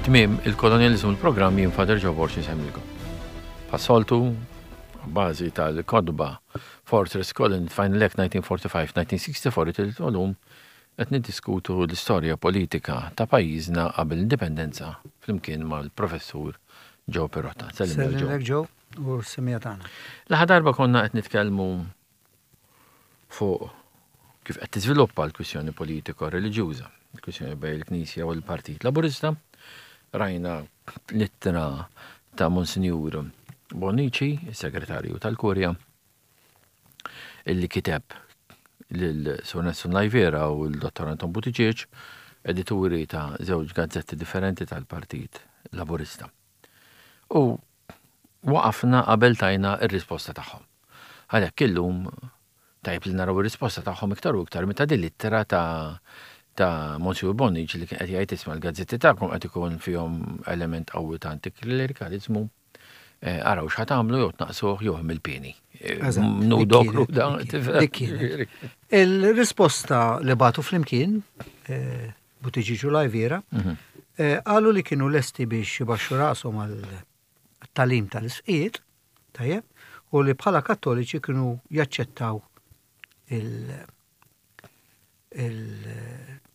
Tmiem il-kolonjaliżmu l-programm jien Father Joe Borg insemmilkom. Bħas-soltu, bażi tal-kotba Fortress Colin Final Act 1945-1964 it-tielet volum qed niddiskutu l-istorja politika ta' pajjiżna qabel l-indipendenza flimkien mal-Professur Joe Pirotta. Sellimlek Joe u s-semija tagħna. L-aħħar darba konna qed nitkellmu fuq kif qed tiżviluppa l-kwistjoni politiko-reliġjuża, il-kwistjoni bejn il-Knisja u l-Partit Laburista. Rajna l-ittra ta' Monsinjur Bonnici, is-Segretarju tal-Kurja, illi kiteb lil Sur Nelson Lajviera u l-Dottor Anton Buttigieg, edituri ta' żewġ gazzetti differenti tal-Partit Laburista. U waqafna qabel tajna r-risposta tagħhom. Għalhekk illum tajjeb li naraw ir-risposta tagħhom iktar u iktar meta din l-ittra ta' ta' Monsignor Bonnici li kien qed jgħid isma' l-gazzetti tagħkom qed ikun fihom element qawwi ta' antiklerikaliżmu, eh, araw x'ħa tagħmlu jew tnaqsuh jew hemm il-pieni. Eh, nudo kruda. Il-risposta li bagħtu flimkien eh, Buttigieg u Lajviera, mhm. qalu li kienu lesti biex jibaxxu rashom għal tagħlim tal-isqfijiet, tajjeb, u li bħala kattoliċi kienu jaċċettaw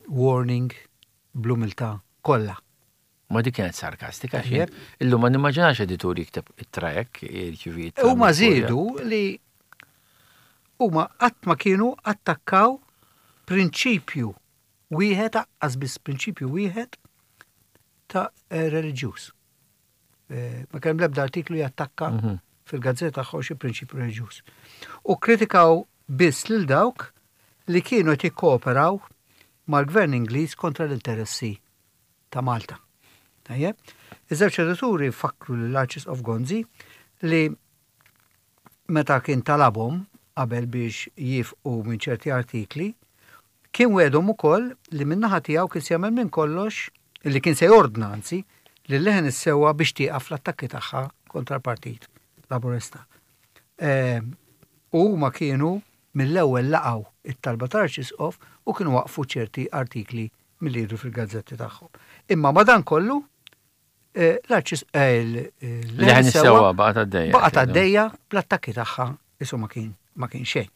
il-warning bl-umiltà kollha. Ma dik kienet sarkastika, xejn. Illum ma nimmaġinax editur jikteb ittra hekk, jirċievi ittra. Huma żiedu li huma qatt ma kienu attakkaw prinċipju wieħed, aqqas biss prinċipju wieħed ta' reliġjuż. Ma kien l-ebda artiklu jattakka mhm. fil-gazzetta tagħhom xi prinċipju reliġjuż. U kritikaw biss lil dawk li kienu qed jikkooperaw mal-gvern Ingliż kontra l-interessi ta' Malta. Tajjeb? Iż-żewġ edituri fakru lill-Arċisqof Gonzi li meta kien talabhom qabel biex jifqu minn ċerti artikli, Kien wegħedhom ukoll li min-naħa tiegħu kien se jagħmel minn kollox, li kien se jordna anzi, lil Leħen is-Sewwa biex tieqaf fl-attakki tagħha kontra l-Partit Laburista. U huma kienu mill-ewwel laqgħu t-talba tal-Arċisqof u kienu waqqfu ċerti artikli milli jidhru fil-gazzetti tagħhom. Imma madankollu l-Arċis Leħen is-Sewwa baqgħet għaddejja. Baqgħet għaddejja bl-attakki tagħha isu ma kien ma kien xejn.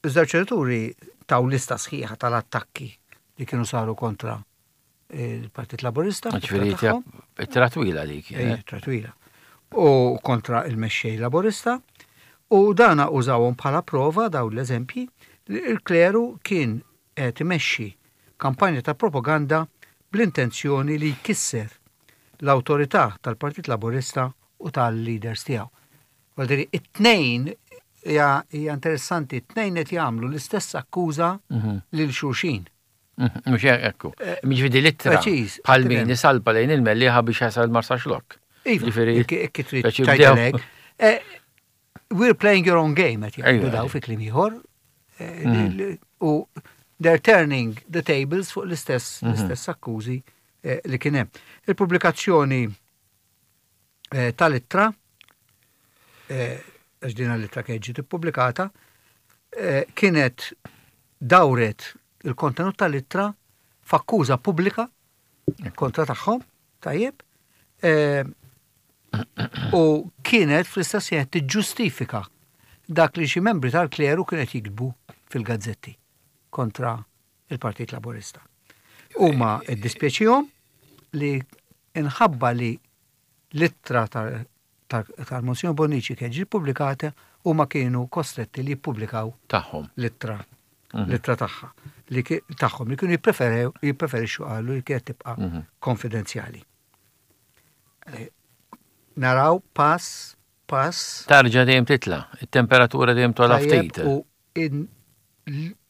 Iż-żewġ edituri taw lista sħiħa tal-attakki li kienu saru kontra il-Partit Laburista. Ġifieri ittra twila dik. Eh, ittra twila. U kontra il-mexxej Laburista. U dana użawhom bħala prova daw l-eżempji li l-kleru kien qed imexxi kampanja ta' propaganda bl-intenzjoni li jkisser l-awtorità tal-Partit Laburista u tal-leaders tiegħu. Vuol it-tnejn hija interessanti, it-tnejn qed jagħmlu l-istess akkuża mhm. lil xulxin. Mhm, mhux hekk. Eh, Jiġifieri l-ittra bħal min isalpa lejn il-Mellieħa biex jasal Marsaxlokk. Iva, Ġifieri trid eh, We're playing your own game qed jgħidu daw fi kliem ieħor. Eh, mhm. U they're turning the tables fuq l-istess l-istess akkużi li kien hemm. Il-pubblikazzjoni eh, tal-ittra, eh, għax din l-ittra kienet ġiet ippubblikata, eh, kienet dawret il-kontenut tal-ittra f'akkuża pubblika kontra tagħhom, tajjeb, u kienet fl-istess ħin tiġġustifika dak li xi membri tal-kleru kienet jiktbu fil-gazzetti kontra il-Partit Laburista. Huma ddispjaċihom li inħabba li l-ittra tal-Monsignor Bonnici kienet ġiet pubblikata huma kienu kostretti li jippubblikaw tagħhom l-ittra mhm. l-ittra tagħha li tagħhom li kienu jippreferew jippreferixxu qalu li kienet tibqa' mhm. konfidenzjali. Eh, naraw pass pass. Tarġa dejjem titla, it-temperatura dejjem tola ftit. U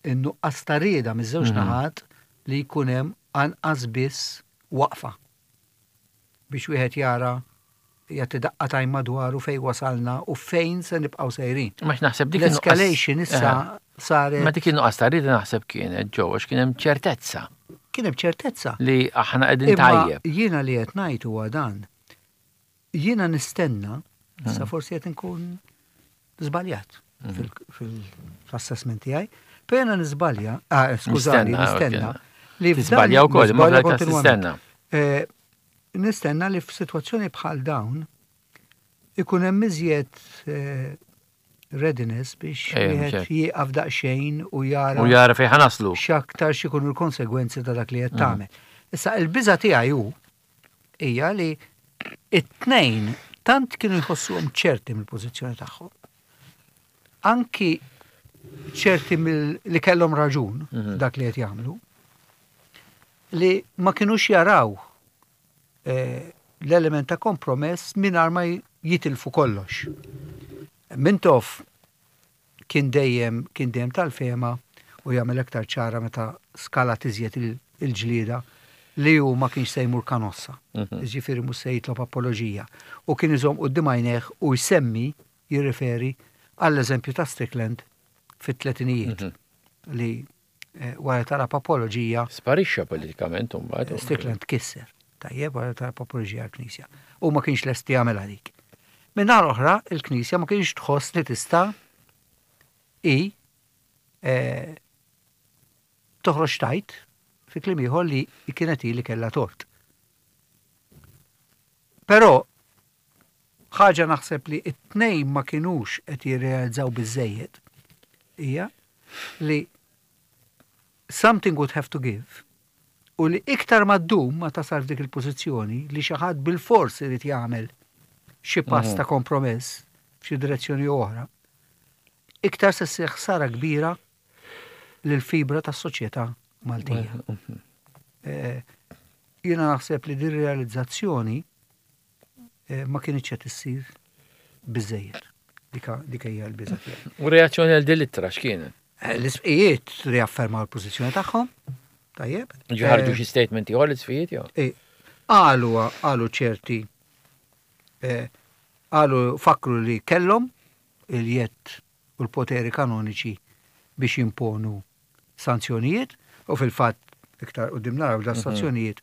in-nuqqas ta' rieda miż-żewġ mhm. naħat li jkun hemm anqas biss waqfa biex wieħed jara jagħti daqqa t'għajn madwaru fejn wasalna u fejn se nibqgħu sejrin. Ma naħseb dik L-escalation issa saret. Ma dik in-nuqqas ta' rieda naħseb kienet ġew għax kien hemm ċertezza. Kien hemm ċertezza. Li aħna qegħdin tajjeb. Jiena li qed ngħid huwa dan. Jiena nistenna, issa forsi qed inkun żbaljat fil-assessment tiegħi, però jiena niżbalja, ah, skużani, nistenna. Li Tiżbalja wkoll, imma fl-każ tistenna. Eh, nistenna li f'sitwazzjoni bħal dawn ikun hemm iżjed eh, readiness biex Ejja, wieħed mhux hekk. jieqaf daqsxejn u jara U jara fejn ħa naslu. x'aktar x'ikunu l-konsegwenzi ta' dak li qed tagħmel. Issa il-biża tiegħi hu hija li it-tnejn tant kienu jħossuhom ċerti mill-pożizzjoni tagħhom. Anki ċerti mill li kellhom raġun dak li qed jagħmlu li ma kinux jaraw eh, l-element ta' kompromess mingħajr ma jitilfu kollox. Mintoff kien dejjem kien dejjem tal-fehma u jagħmel aktar ċara meta skalat iżjed il-ġlieda li hu ma kienx se jmur kanossa. Ġifieri mhux se jitlob apoloġija. U kien iżomm quddiem għajnejh u jsemmi jirriferi għall-eżempju ta' Strickland fit-tletinijiet li eh, wara talab apoloġija Sparixxa politikament mbagħad. Strickland kisser. Tajjeb, wara talab apoloġija għall-Knisja. U ma kienx lest jagħmel għalik. Min-naħa l-oħra, il-Knisja ma kienx tħoss li tista' i eh, toħroġ tajt fi kliem ieħor li kienet hi li kellha tort. Però ħaġa naħseb li it-tnejn ma kinux qed jirrealizzaw biżejjed hija li something would have to give u li iktar ma ddum ma tasal f'dik il-pożizzjoni li xi ħadd bil-fors irid jagħmel xi pass ta' kompromess f'xi direzzjoni oħra, iktar se ssir ħsara kbira lil fibra tas-soċjetà Maltija. Eh, Jiena naħseb li din realizzazzjoni eh, ma kienx qed issir biżejjed. Dika dika hija l-biża tiegħi. U reazzjoni għal din l-ittra x'kienet? Eh, L-isqfijiet riaffermaw l-pożizzjoni tagħhom. Tajjeb. Ħarġu xi statement ieħor l-isqfijiet jew? Eh, Qalu qalu ċerti eh, qalu fakru li kellhom il-jedd u l-poteri kanoniċi biex jimponu sanzjonijiet u fil-fatt iktar quddiem naraw da sanzjonijiet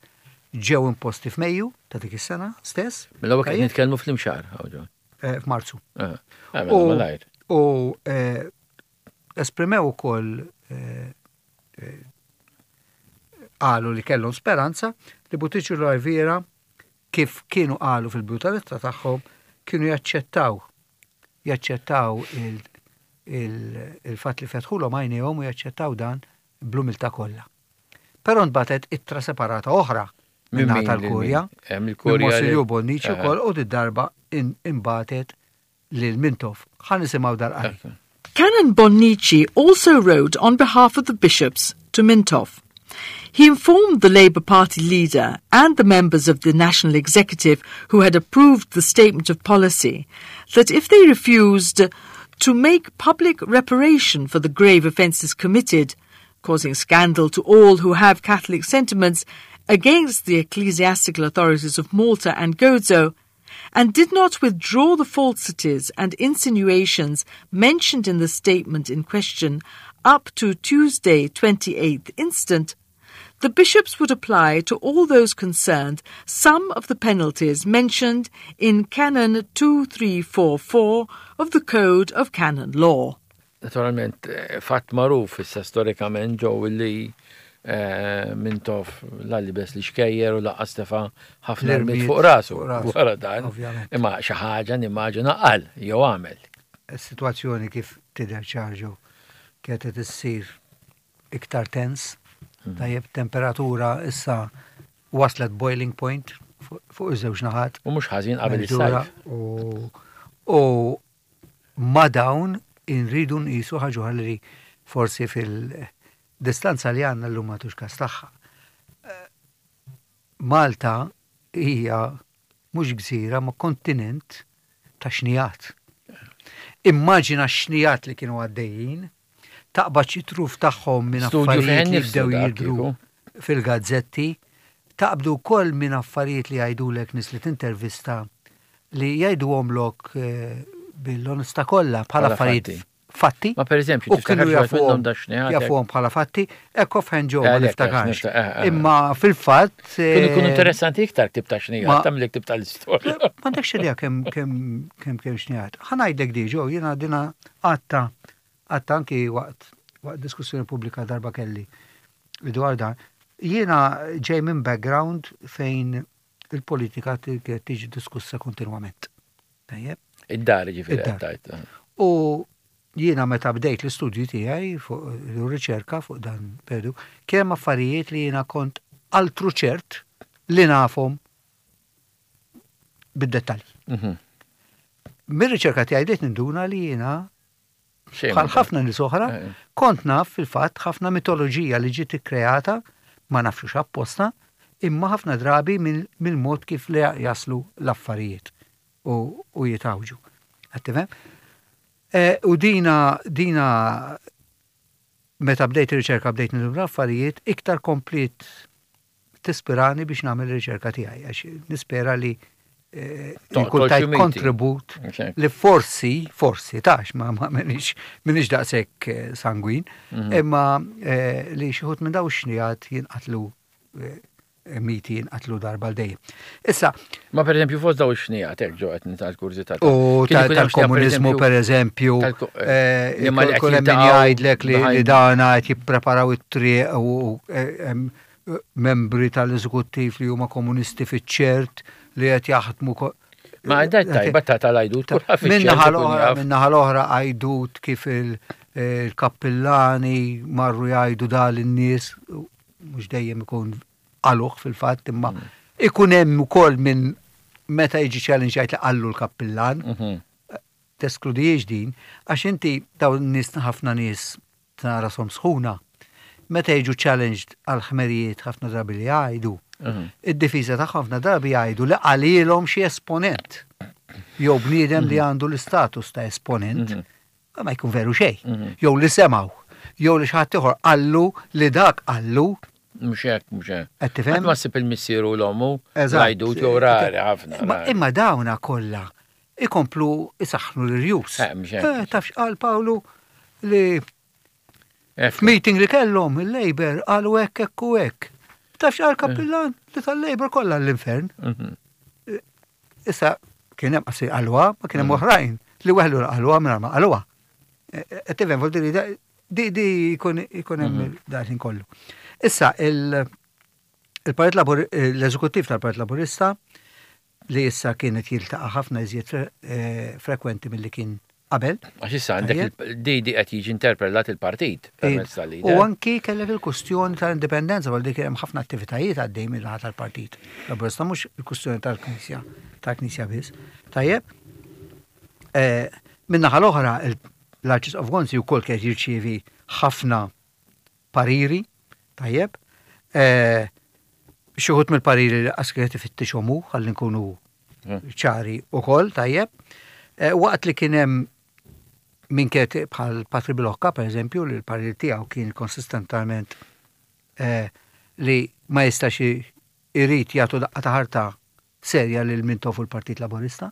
ġew imposti f'Mejju ta' dik is-sena stess. Mela qed Tajjeb? nitkellmu fl-imxar, hawn. Eh, F'Marzu. Ah, mela malajr. U eh, esprimew ukoll eh, eh, qalu li kellhom speranza li Buttigieg u Lariviera kif kienu qalu fil-bidu tal-ittra tagħhom kienu jaċċettaw jaċċettaw il-fatt li fetħulhom għajnejhom u jaċċettaw dan bl-umiltà kollha. Però nbatet ittra separata oħra Minn minn min lil tal-Kurja. min? Eh, mill-Kurja Minn Monsinjur li- Bonnici Aha. wkoll u darba inbatet lil Mintoff. Ħa nisimgħu dal-qari. Canon Bonnici also wrote on behalf of the bishops to Mintoff. He informed the Labour Party leader and the members of the National Executive who had approved the statement of policy that if they refused to make public reparation for the grave offences committed, causing scandal to all who have Catholic sentiments against the ecclesiastical authorities of Malta and Gozo, and did not withdraw the falsities and insinuations mentioned in the statement in question up to Tuesday, 28th instant, the bishops would apply to all those concerned some of the penalties mentioned in Canon 2344 of the Code of Canon Law. Naturalment, eh, fatt magħruf issa storikament ġew li eh, Mintoff la libes l-ixkejjer u lanqas tefa' ħafna L-irmied rmied fuq rasu. fuq rasu, Wara dan. ovvjament. Imma xi ħaġa nimmaġina qal jew għamel. Is-sitwazzjoni kif tidher ċarġu kienet qed issir iktar tens, tajjeb temperatura issa waslet boiling point fuq fuq iż-żewġ naħat. U mhux ħażin qabel Mexdura is-sajf. U u ma dawn inridu nqisu ħaġa oħra li forsi fil-distanza li għandna llum ma tux kas tagħha. Eh, Malta hija mhux gżira ma kontinent ta' xnijat. Immaġina x-xnijat li kienu għaddejjin, taqbad xi truf tagħhom minn Studju affarijiet fejn li nifsu bdew dak jidhru kieku. fil-gazzetti, taqbdu wkoll minn affarijiet li jgħidulek nies li tintervista li jgħiduhomlok eh, bil-onestà kollha bħala Bħala affarijiet fatti. fatti. Ma per eżempju, U tiftakar kienu xi wieħed minnhom jafuhom da xnijat, jafuhom bħala fatti, ekko fħen ġew ma Eh, lek, niftakarx. nifta- eh, eh. Imma fil-fatt. Kienu jkunu eh, interessanti iktar ktib ta' xnijat, ma- ta' mill ktib tal-istorja. M'għandekx idea kemm kemm kemm kemm xnijat. Ħa ngħidlek diġo, jiena dina għatta għatta anki waqt waqt diskussjoni pubblika darba kelli dwar dan. Jiena ġej minn background fejn il-politika kienet tiġi diskussa kontinwament. Tajjeb? Id-dar ġifieri qed tgħid. U jiena meta bdejt l-istudju tiegħi fuq ir-riċerka fuq dan periodu, kien hemm affarijiet li jiena kont altru ċert li nafhom bid-dettalji. Mhm. Mir-riċerka tiegħi bdejt ninduna li jiena bħal ħafna nies oħra, eh. kont naf fil-fatt ħafna mitoloġija li ġiet ikkreata, ma nafx apposta, imma ħafna drabi mill-mod kif li jaslu l-affarijiet u jitawġu. Qed tifhem? Eh, u dina dina meta bdejt ir-riċerka bdejt nidum l-affarijiet, iktar komplit tispirani biex nagħmel ir-riċerka tiegħi għax nispera li eh, nkun tajt kontribut li forsi, forsi tax, ma minix minix daqshekk eh, sangwin, mhm. imma eh, li xi minn daw xnijat jinqatlu miti jinqatlu darba l-dejjem. Issa. Ma per eżempju fost daw ix-xnijat hekk ġo qed nital kurżità. U tal-komuniżmu per eżempju, kull min jgħidlek li dana qed jippreparaw it-triq u membri tal-eżekuttiv li huma komunisti fiċ-ċert li qed jaħdmu Ma għandha tajba ta' tal-għajdut Minnaħa l-oħra, minnaħa l-oħra għajdut kif il-kappillani marru jgħidu dal in-nies mhux dejjem ikun qaluh fil-fatt imma mm. ikun hemm ukoll minn meta jiġi challenge jgħid li qallu l-kappillan. Mhm. Teskludijiex din, għax inti dawn nies ħafna nies ta' rashom sħuna, meta jiġu challenged għal ħmerijiet ħafna drabi li jgħidu, mhm. id-difiża tagħhom ħafna drabi jgħidu li qalilhom xi esponent jew bniedem li mhm. għandu l-istatus ta' esponent, mhm. ma jkun veru xejn. Jew li semgħu, jew li xi ħadd ieħor qallu li dak qallu. Mhux hekk, mhux hekk. Qed tifhem? Ma ssib il-missieru l-ommu, l-għajdut jew rari ħafna. Imma dawna kollha ikomplu isaħħnu l-irjus. Eh, mhux hekk. Eh, taf x'qal Pawlu li f'meeting li kellhom il-Labour qalu hekk hekk u hekk. Taf x'qal kappillan li tal-Labour kollha l-infern. Mhm. Eh, issa kien hemm qasi qalwa, ma kien hemm mhm. oħrajn li weħlu qalwa mingħajr ma qalwa. Qed tifhem di di jkun hemm mhm. dan kollu. Issa il-Partit l-Eżekuttiv tal-Partit Laburista li issa kien qed jiltaqa' ħafna iżjed frekwenti milli kien qabel. Għax issa għandek di qed jiġi interpellat il-partit permezz tal-leader. U anki kellek il-kustjoni tal-indipendenza, għal dik hemm ħafna attivitajiet għaddej mill-naħa tal-partit. Laburista mhux il-kustjoni tal-Knisja, tal-Knisja biss. Tajjeb. Eh, min-naħa l-oħra, l-Arċisqof Gonzi wkoll kien jirċievi ħafna pariri, tajjeb. Eh, xi wħud mill-pariri li qas kienet ifittixhom hu, ħalli nkunu hmm. ċari ukoll, tajjeb. Eh, waqt li kien hemm min kienet bħal Patri Bilocca, per eżempju, li l-parir tiegħu kien konsistentament eh, li ma jistax irid jagħtu daqqa ta' ħarta serja lil Mintoff u l-Partit Laburista.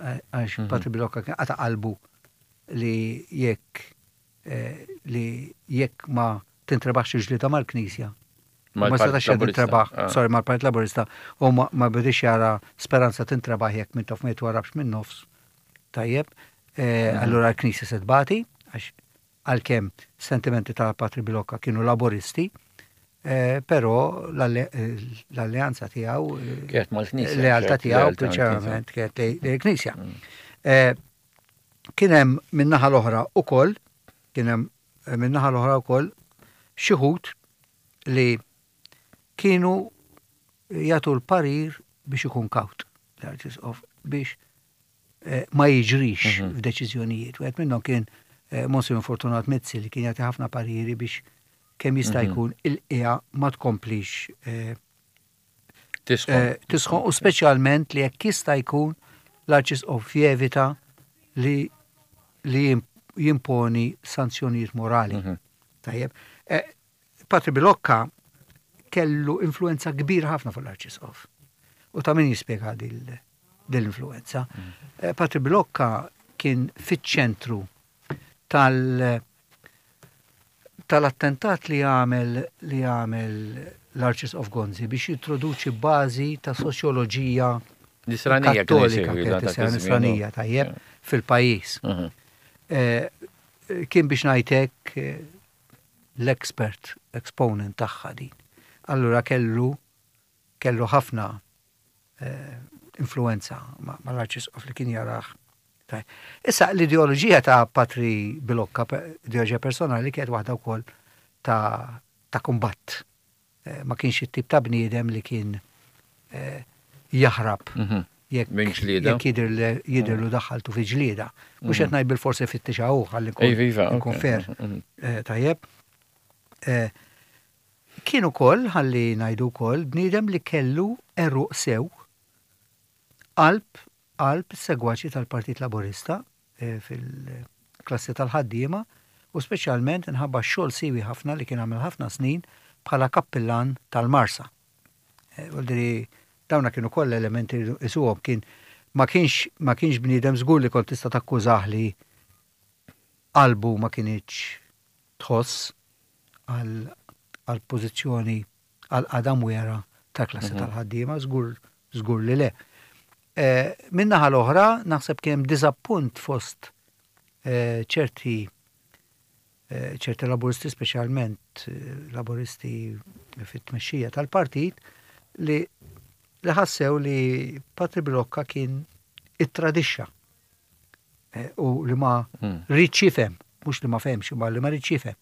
Għax mhm. Patri Bilocca kien qata' qalbu li jekk eh, li jekk ma tintrebaħx il-ġlieda mal-Knisja, ma setax jintrebaħ, ah. sorry, mal-Partit Laburista, u ma bidix jara speranza tintrebaħ jekk Mintoff ma jitwarrabx minn nofs. Tajjeb, eh, mhm. allura l-Knisja se tbati, għax għalkemm sentimenti ta' Patri Bilocca kienu laburisti, eh, però l-alleanza tiegħu, Kienet mal-Knisja. Lealtà tiegħu prinċipalment kienet l-Knisja. Mm. Eh, kien hemm min-naħa l-oħra ukoll, kien hemm eh, min-naħa l-oħra wkoll xi li kienu jagħtu l-parir biex ikun kawt l-Arċisqof biex eh, ma jiġrix mhm. f'deċiżjonijiet. Wieħed minnhom kien eh, Monsignor Fortunat Mizzi li kien jagħti ħafna pariri biex kemm jista' mhm. jkun il-qiegħa ma tkomplix eh, tisħon u speċjalment li jekk jista' jkun l-Arċisqof jevita li li jimponi sanzjonijiet morali. Mhm. Tajjeb. Patri Bilocca kellu influenza kbira ħafna fuq l-Arċisqof. U ta' min jispjega din l-influenza. Eh, Patri Bilocca kien fiċ-ċentru tal- tal-attentat li għamel li għamel l-Arċisqof Gonzi biex jintroduċi bażi ta' soċjoloġija Nisranija kattolika, nisranija tajjeb fil-pajjiż. Mhm. Eh, kien biex ngħidlek eh, l-expert, exponent tagħha din. Allura kellu kellu ħafna influwenza mal-Arċisqof li kien jarah. Issa l-ideoloġija ta' Patri Bilocca, ideoloġija personali kienet waħda wkoll ta' ta' kumbatt. Ma kienx it-tip ta' bniedem li kien jaħrab jekk jidhirlu daħħaltu fi ġlieda. Mhux qed ngħid bilfors ifittixha hu ħalli nkun fair. Tajjeb. Kien ukoll, ħalli ngħidu wkoll, bniedem li kellu għeruq sew qalb qalb is-segwaċi tal-Partit Laburista fil-klassi tal-ħaddiema u speċjalment inħabba x-xogħol siewi ħafna li kien għamel ħafna snin bħala kappillan tal-Marsa. Vuol dawna kienu kollha elementi li isuhom kien ma kienx ma kienx bniedem żgur li kont tista' takkużah li qalbu ma kinitx tħoss għall-pożizzjoni għall-qagħda mwiegħra tal-klassi tal-ħaddiema, żgur żgur li le. Min-naħa l-oħra, naħseb kien hemm diżappunt fost ċerti ċerti Laburisti, speċjalment Laburisti fit-tmexxija tal-partit, li li ħassew li Patri Bilocca kien ittradixxa u li ma riedx jifhem, mhux li ma fehmx, imma li ma riedx jifhem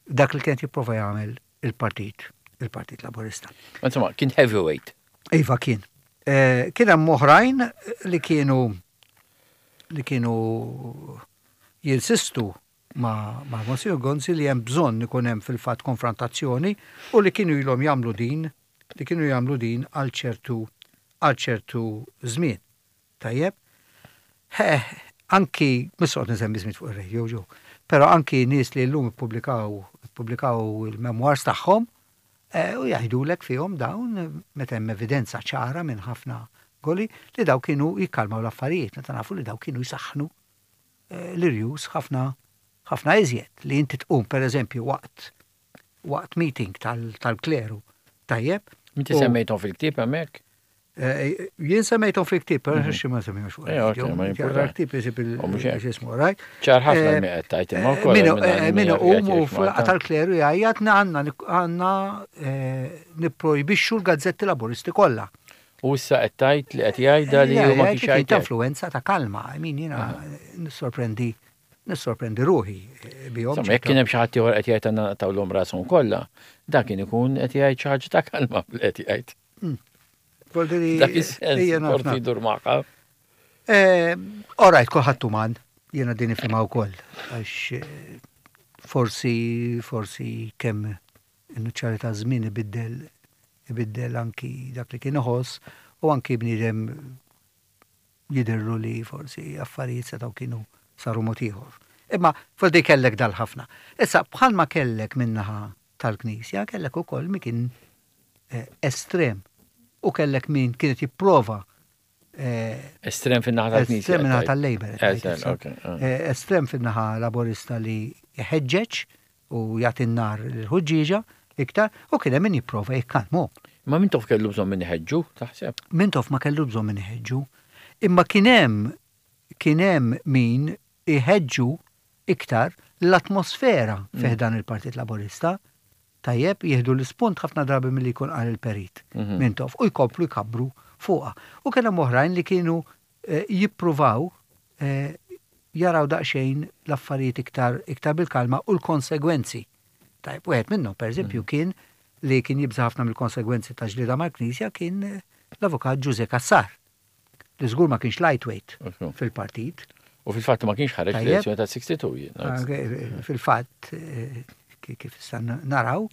dak li kien jipprova jagħmel il-partit, il-Partit Laburista. Insomma, kien heavyweight. Iva kien. Kien hemm oħrajn li kienu li kienu jinsistu ma' ma' Monsignor Gonzi li hemm bżonn ikun hemm fil-fatt konfrontazzjoni u li kienu ilhom jagħmlu din li kienu jagħmlu din għal ċertu għal ċertu żmien. Tajjeb? Ħeħ, anki, mhux se noqgħod nsemmi ismijiet fuq ir-radio, ġo, però anki nies li llum ippubblikaw ippubblikaw il-memoirs tagħhom u jgħidulek fihom dawn meta hemm evidenza ċara minn ħafna goli li dawn kienu jikkalmaw l-affarijiet meta nafu li dawn kienu jsaħħnu l-irjus ħafna ħafna iżjed li inti tqum pereżempju waqt waqt meeting tal-kleru. Tajjeb? Inti semmejthom fil-ktieb hemmhekk? Jien semmejthom fil-ktieb, però xi ma semmejhomx fuq. Il-ktieb isib il-ġismu, right? Ċar ħafna mi qed tgħid imma wkoll. Min iqum u fl-laqgħa tal-kleru jgħajjat għandna għandna nipprojbixxu l-gazzetti Laburisti kollha. U issa qed tgħid li qed jgħidha li hu ma kienx jgħid. Ta' influenza ta' kalma, I mean jiena nissorprendi Nissorprendi ruħi bihom. Insomma, jekk kien hemm xi ħadd ieħor qed jgħid għandna naqtgħulhom rashom kollha, dan kien ikun qed jgħid xi ħaġa ta' kalma li qed jgħid. Dak is-sens forsi jdur magħha. All right, kulħadd uman, jiena din nifhimha wkoll, għax forsi forsi kemm in-nuċċali ta' żmien ibiddel ibiddel anki dak li kien iħoss u anki bniedem jidhirlu li forsi affarijiet setgħu kienu saru mod ieħor. Imma forsi kellek dal-ħafna. Issa bħalma kellek min-naħa tal-Knisja, kellek ukoll min kien estrem u kellek min kien qed jipprova Estrem fin-naħa tal-Knisja. Estrem min-naħa tal-Labour. Estrem fin-naħa Laburista li jħeġġeġ u jagħti n-nar lill-ħuġġieġa iktar u kien hemm min jipprova jikkalmhom. Imma Mintoff kellu bżonn min iħeġġu, taħseb? Mintoff ma kellu bżonn min iħeġġu. Imma kien hemm kien hemm min iħeġġu iktar l-atmosfera fi ħdan il-Partit Laburista. Tajjeb, jieħdu l-ispunt ħafna drabi milli jkun qal il-Perit Mintoff u jkomplu jkabbru fuqha. U kien hemm oħrajn li kienu jippruvaw jaraw daqsxejn l-affarijiet iktar iktar bil-kalma u l-konsegwenzi. Tajjeb, wieħed minnhom pereżempju kien li kien jibża' ħafna mill-konsegwenzi ta' ġlieda mal-Knisja kien l-Avukat Ġużè Cassar, li żgur ma kienx lightweight fil-partit. U fil-fatt ma kienx ħareġ fl-elezzjoni ta' 62 jien. Fil-fatt, kif issa naraw,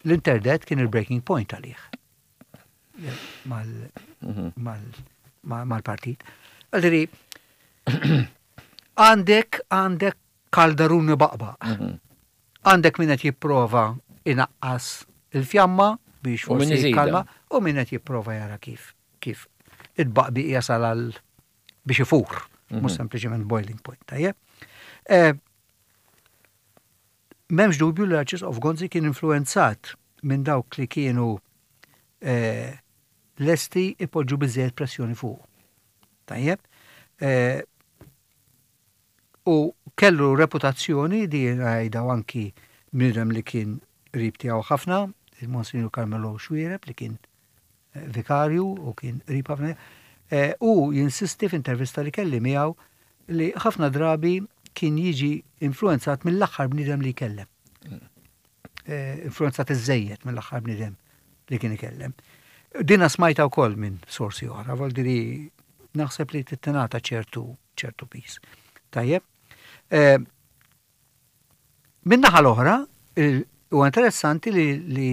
l-interdet kien il-breaking point għalih. Mal-partit. Għaldiri, għandek għandek kaldaruni baqbaq. Għandek min qed jipprova inaqqas il-fjamma biex forsi jikkalma u min qed jipprova jara kif kif it-tbaqbiq jasal għal biex ifur, mhux sempliċement boiling point, tajjeb. M'hemmx dubju li l-Arċisqof Gonzi kien influwenzat minn dawk li kienu lesti ipoġġu biżżejjed pressjoni fuqu. Tajjeb? U kellu reputazzjoni, di jgħidha anki bniedem li kien qrib tiegħu ħafna, il-Monsinjur Carmelo Xuereb li kien vikarju u kien qrib ħafna u jinsisti f'intervista li kelli miegħu li ħafna drabi kien jiġi influenzat mill-aħħar bniedem li jkellem. Influenzat iżżejjed mill-aħħar bniedem li kien ikellem. Dina smajta wkoll minn sorsi oħra, vuol naħseb li tittenata ċertu ċertu piż. Tajjeb. Min-naħa l-oħra, huwa interessanti li li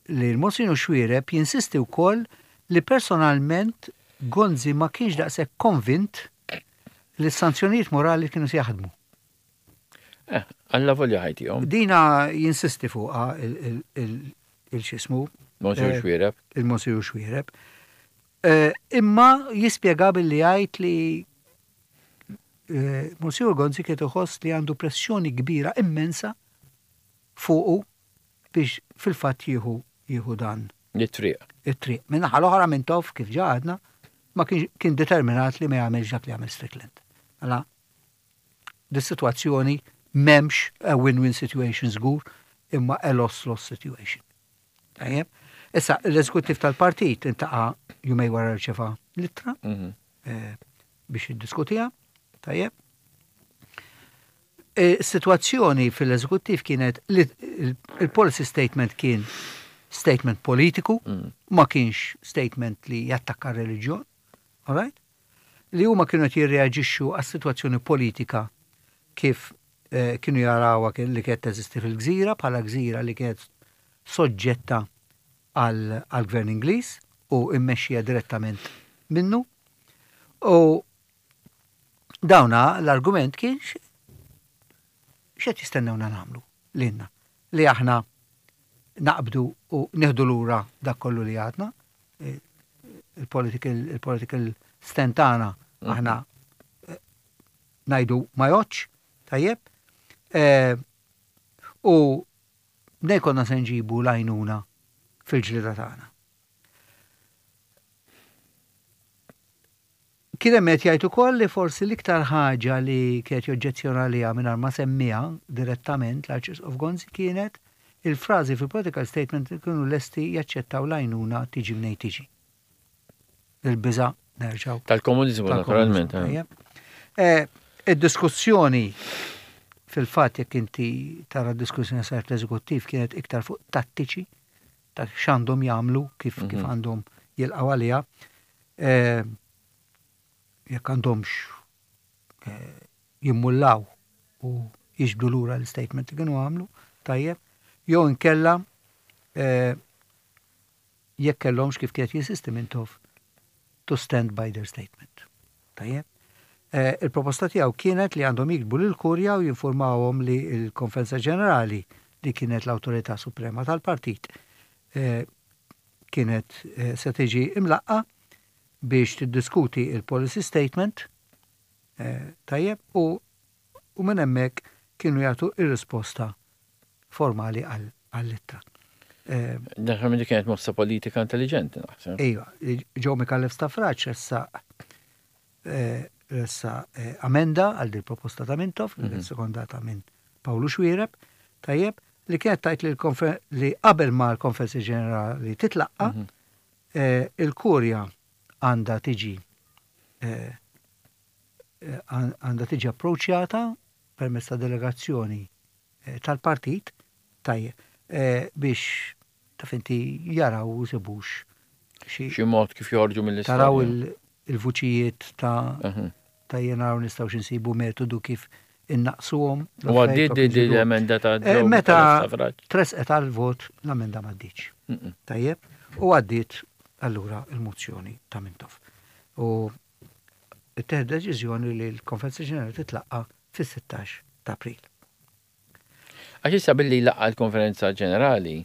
li l-Monsinjur Xuereb jinsisti wkoll li personalment Gonzi ma kienx daqshekk konvint li s-sanzjonijiet morali kienu se jaħdmu. Eh, alla volja ħajtihom. Dina jinsisti fuqha il-xismu. Monsinjur eh, Xuereb. Il-Monsinjur Xuereb. Eh, imma jispjega billi jgħid li Monsignor Gonzi kien iħoss li għandu pressjoni kbira immensa fuqu biex fil-fatt jieħu jieħu dan. It-triq. It-triq. Min-naħa l-oħra Mintoff kif ġa għadna ma kienx kien determinat li ma jagħmilx dak li għamel Strickland. Mela dis-sitwazzjoni m'hemmx a win-win situation żgur imma a loss-loss situation. Tajjeb. Issa, l-eżekuttiv tal-partit intaqa' jumej wara rċeva l-ittra mhm. eh, biex jiddiskutiha. Tajjeb. E, Situazzjoni fil-eżekuttiv kienet li il-policy statement kien statement politiku, mm. ma kienx statement li jattakka reliġjon, all right? Li huma kienu qed jirreaġixxu għas-sitwazzjoni politika kif eh, kienu jarawha li kienet teżisti fil-gżira bħala gżira li kienet soġġetta għall-gvern Ingliż u immexxija direttament minnu. U dawna l-argument kien x'qed jistennewna nagħmlu lilna li aħna naqbdu u nieħdu lura dak kollu li għadna il-political il-political stand tagħna mhm. aħna eh, ngħidu ma jgħodx, tajjeb, eh, u mnejn konna se nġibu l-għajnuna fil-ġlieda tagħna. Kien hemm qed jgħid ukoll li forsi l-iktar ħaġa li kienet joġġezzjona għaliha mingħajr ma semmiha direttament l-Arċisqof Gonzi kienet il-frażi fil-political statement li kienu lesti jaċċettaw l-għajnuna tiġi mnejn tiġi. Il-biża' nerġgħu. Tal-komuniżmu naturalment. Eh. eh, id-diskussjoni fil-fatt jekk inti tara d-diskussjoni saret l-eżekuttiv kienet iktar fuq tattiċi ta' x'għandhom jagħmlu kif kif mhm. għandhom jilqgħu għaliha. Eh, jekk għandhomx eh, jimmullaw u jiġbdu lura l-statement li kienu għamlu, tajjeb, jew inkella eh, jekk kellhomx kif kienet jinsisti Mintoff to stand by their statement. Tajjeb. Eh, il-proposta tiegħu kienet li għandhom jiktbu lill-Kurja u jinformawhom li l-Konferenza Ġenerali li kienet l-awtorità suprema tal-partit eh, kienet eh, se tiġi imlaqqa biex tiddiskuti il-policy statement tajjeb u u minn hemmhekk kienu jagħtu ir-risposta formali għall-ittra. Naħseb li kienet mossa politika intelligenti, naħseb. Iva, Joe Micallef Stafrace ressaq ressaq amenda għal din proposta ta' Mintoff, li kienet sekondata minn Pawlu Xuereb, tajjeb, li kienet tgħid li qabel ma l-Konferenza Ġenerali titlaqqa, il-Kurja għandha tiġi għandha tiġi approċċjata permezz ta' delegazzjoni tal-partit tajjeb biex taf inti jaraw u jsibux xi Xi mod kif joħorġu mill-istorja. Taraw il-vuċijiet ta' ta' naraw nistgħux insibu metodu kif innaqsuhom. U għaddiet din l-emenda ta' eh, Meta tresqet għal-vot l-emenda ma għaddietx. Tajjeb, u għaddiet allura il-mozzjoni ta' Mintoff. U ttieħed deċiżjoni li l-Konferenza Ġenerali titlaqqa' fis-16 ta' April. Għax issa billi jlaqqa' l-Konferenza Ġenerali,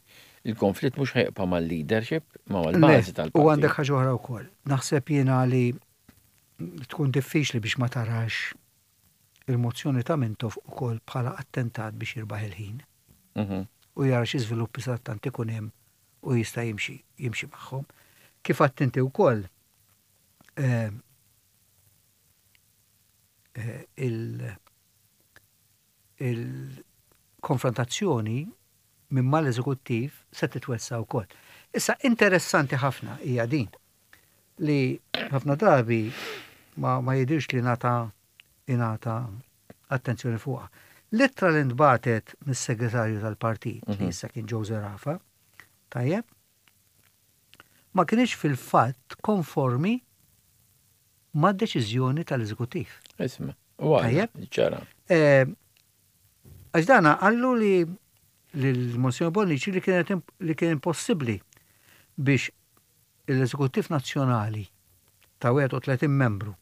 il-konflitt mhux ħa jibqa' mal-leadership, ma mal-bażi tal-partit. U għandek ħaġa oħra wkoll. Naħseb jiena li tkun diffiċli biex ma tarax il-mozzjoni ta' Mintoff ukoll bħala attentat biex jirbaħ il-ħin. Mhm. U jara xi żviluppi sadattant ikun hemm u jista' jimxi jimxi magħhom. Kif għedt inti wkoll, eh, eh, il-konfrontazzjoni. minn mal-eżekuttiv se titwessa' wkoll. Issa interessanti ħafna hija din li ħafna drabi ma, ma jidirx li nata ingħata attenzjoni fuqha. L-ittra li ntbagħtet mis-segretarju tal-partit li issa kien Joe Zerafa, tajjeb, ma kienx fil-fatt konformi mad-deċiżjoni tal-eżekuttiv. Isma, u Tajjeb. ċara. Eh, Għax dana qallu li l-Monsignor Bonnici li kienet li kien impossibbli biex l-Eżekuttiv Nazzjonali ta' 31 membru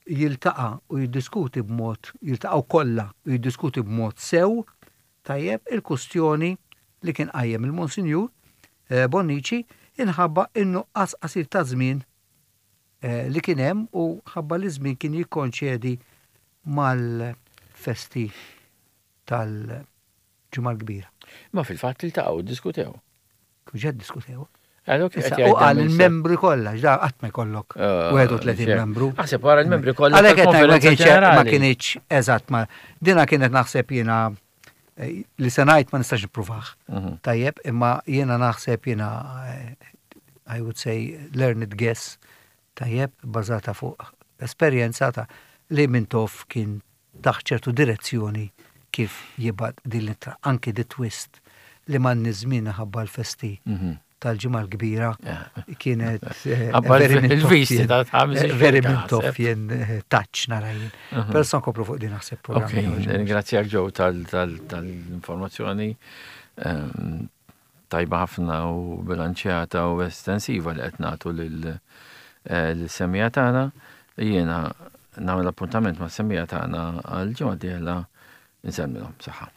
jiltaqa' u jiddiskuti b'mod jiltaqgħu kollha u jiddiskuti b'mod sew tajjeb il-kustjoni li kien qajjem il-Monsinjur eh, Bonnici inħabba in-nuqqas qasir ta' żmien eh, li kien hemm u ħabba li żmien kien jikkonċedi mal-festi tal-Ġimgħa l-Kbira. Ma fil-fatt iltaqgħu, diskutew. Kif diskutew. Għalhekk Issa, U qal il-membri kollha, x'da qatt ma jkollok 31 membru. Aħseb wara l-membri kollha. Għalhekk qed ngħid ma tal-Konferenza kienx ma Ġenerali. kienx eżatt ma dina kienet naħseb jiena eh, li se ngħid ma nistax nippruvah. Tajjeb, imma jiena naħseb jiena eh, I would say learned guess tajjeb bażata fuq esperjenza ta' li Mintoff kien taħt ċertu direzzjoni kif jibgħat din l-ittra, anki di twist li man żmien ħabba l-festi tal-Ġimgħa l-Kbira kienet eh, Ħabba very il-visti Mintoffien, ta' ħames eh, very xhur, Mintoffien eh, touch nara jien. Però se nkomplu fuq din naħseb Ok, programm ieħor. ringrazzjak Joe tal-informazzjoni tajba ħafna u bilanċjata u estensiva li qed nagħtu lil-semmiegħa tagħna. Jiena nagħmel appuntament mas-semmiegħa tagħna għal ġimgħa dieħla nsellmilhom saħħa.